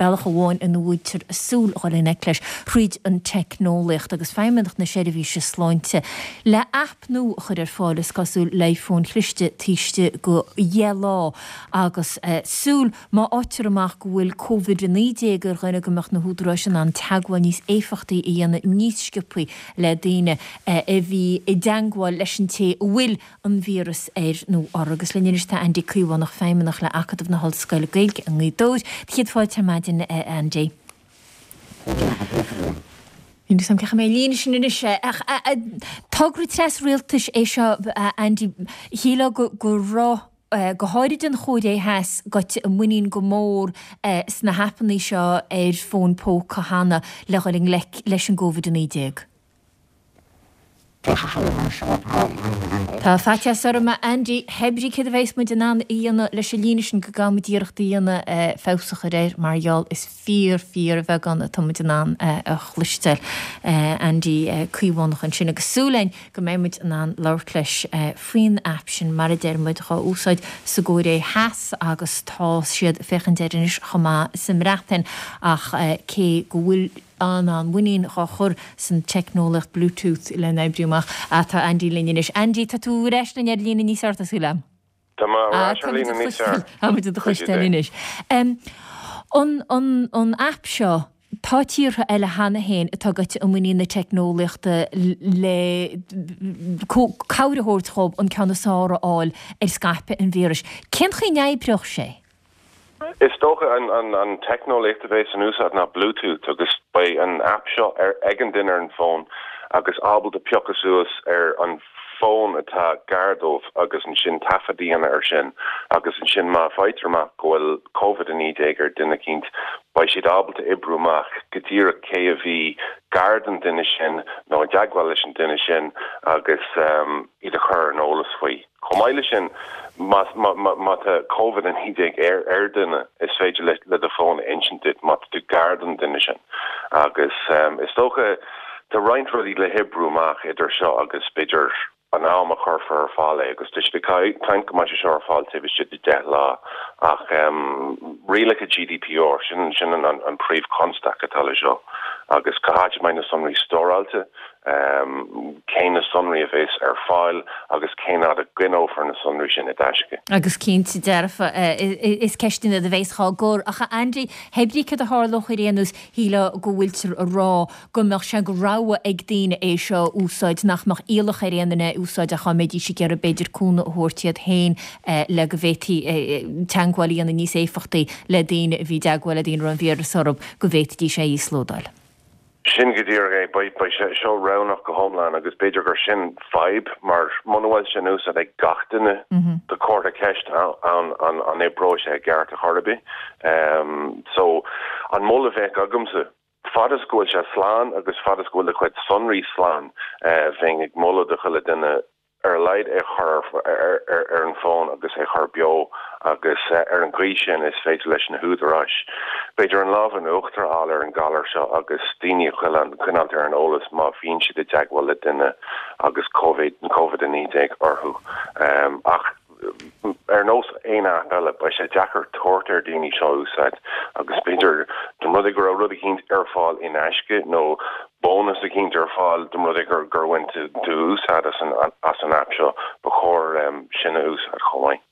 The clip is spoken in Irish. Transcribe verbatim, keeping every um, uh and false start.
Bealach amháin ina bhfuiltear ag súil dhul i ngleic leis thríd an teicneolaíocht agus Feidhmeannacht na Seirbhíse Sláinte le aip nua a chur ar fáil is cosúil le fóin chliste taobh istigh de dheich lá agus súil má fhaightear amach go bhfuil Covid a naoi déag ar dhuine go mbeadh na húdaráis in ann teagmháil níos éifeachtaí a dhéanamh níos sciobthaí le daoine a bhí i dteagmháil leis an té a bhfuil an víreas air nó orthu. Agus linn anois tá Andy Caomhánach Feidhmeannach le Acadamh na hOllscoile Gaeilge i nGaoth Dobhair. Céad fáilte ar maidin Andy. Ní sam ce mé líne sin anois ach togra tras-rialtais é seo Andy shílfeá go go raibh go háirid an Chóiré Theas gaibhte i muinín go mór sna haipeanna seo ar fón póca cheana le dhul i ngleic leis an gCovid a naoi déag. Tá faitíos orm a Andy hébrí céard a bheas muid in ann a dhéanamh leis an líne sin go gcaithfimid iarracht a dhéanamh feabhas a chur air mar gheall is fíor fíor bheagán atá muid in ann a chloisteáil Andy Caomhánach ansin agus súil againn go mbeidh muid in ann labhairt leis faoin aip sin mar a deir muid dhá úsáid sa gCóiré Theas agus tá siad féachaint air anois chomh maith sa mBreatain ach cé go bhfuil an an mhuinín dhá chur san teicneolaíocht Bluetooth le n-oibriú amach atá Andy linn anois. Andy tá tú ar ais linn ar líne níos fearr tá súil agam. Tá mé ar ais ar líne níos fearr. Tá muid do chloisteáil anois. An an an aip seo tá tíortha eile cheana féin atá gaibhte i muinín na teicneolaíochta le cabhair a thabhairt dhóibh an ceann is fearr a fháil ar scaipeadh an víris. Cén chaoi a n-oibreodh sé? Is dócha an, an, an teicneolaíocht a bheas in úsáid ná Bluetooth agus beidh an app seo ar ag an duine ar an bhfón agus ábalta piocadh suas ar an fón atá gar dóibh agus ansin taifead a dhéanamh air sin agus ansin má faightear amach go bhfuil Covid a naoi déag ar duine eicínt beidh siad ábalta oibriú amach go díreach cé a bhí gar don duine sin nó i dteagmháil leis an duine sin agus um, iad a chur ar an eolas faoi. Chomh maith leis sin má má má má tá Covid a naoi déag ar ar duine is féidir le le do fón a insint duit má tá tú gar don duine sin agus um, is dócha tá roinnt rudaí le hoibriú amach idir seo agus b'fhéidir an am a chuirfear ar fáil é agus tá siad ag caint go mbeidh sé seo ar fáil taobh istigh de deich lá ach um, rialacha GDPR sin sin an, an, an príomhchonstaic atá le seo agus cá háit a mbeidh na sonraí stóráilte um, cé na sonraí a bheas ar fáil agus cén fhad a gcoinneofar na sonraí sin i dtaisce. Agus cinnte dearfa is ceisteanna a bheas á gcur ach Andy hébrí cad a tharlódh ar aon nós shílfeá go bhfuiltear a rá go mbeadh sé go rogha ag daoine é seo úsáid nach mbeadh iallach ar aon duine úsáid ach dá mbeidís ag iarraidh b'fhéidir cúnamh a thabhairt iad féin le go bhféadfaí teagmháil a dhéanamh níos éifeachtaí le daoine a bhí i dteagmháil le daoine a raibh an víreas orthu go bhféadfaidís é a íoslódáil. Sin go díreach é beidh sé seo roghnach go hiomlán agus b'fhéidir gur sin fadhb mar muna bhfuil sin úsáid ag gach duine tá comhartha ceist an an an oibreoidh sé i gceart a chor ar bith. Um, so an moladh a bheadh agamsa fad is go bhfuil sé slán agus fad is go bhfuil do chuid sonraí slán uh, bheinn ag moladh do chuile duine ar a laghad é chur ar, ar, ar an bhfón agus é chur beo agus uh, ar an gcaoi sin is féidir leis na húdaráis. B'fhéidir an lámh in uachtar a fháil ar an galar seo agus daoine a choinneáil ar an eolas má bhíonn siad i dteagmháil le duine agus COVID COVID a naoi déag orthu. Um, ach ar nós aon aip eile beidh sé deacair tabhairt ar daoine seo úsáid agus b'fhéidir dá mba rud é go raibh rud eicínt ar fáil in aisce nó bónas eicínt ar fáil dá mba rud é gur gur bhain tú úsáid as an as an aip seo ba chóir um, sin a úsáid chomh maith.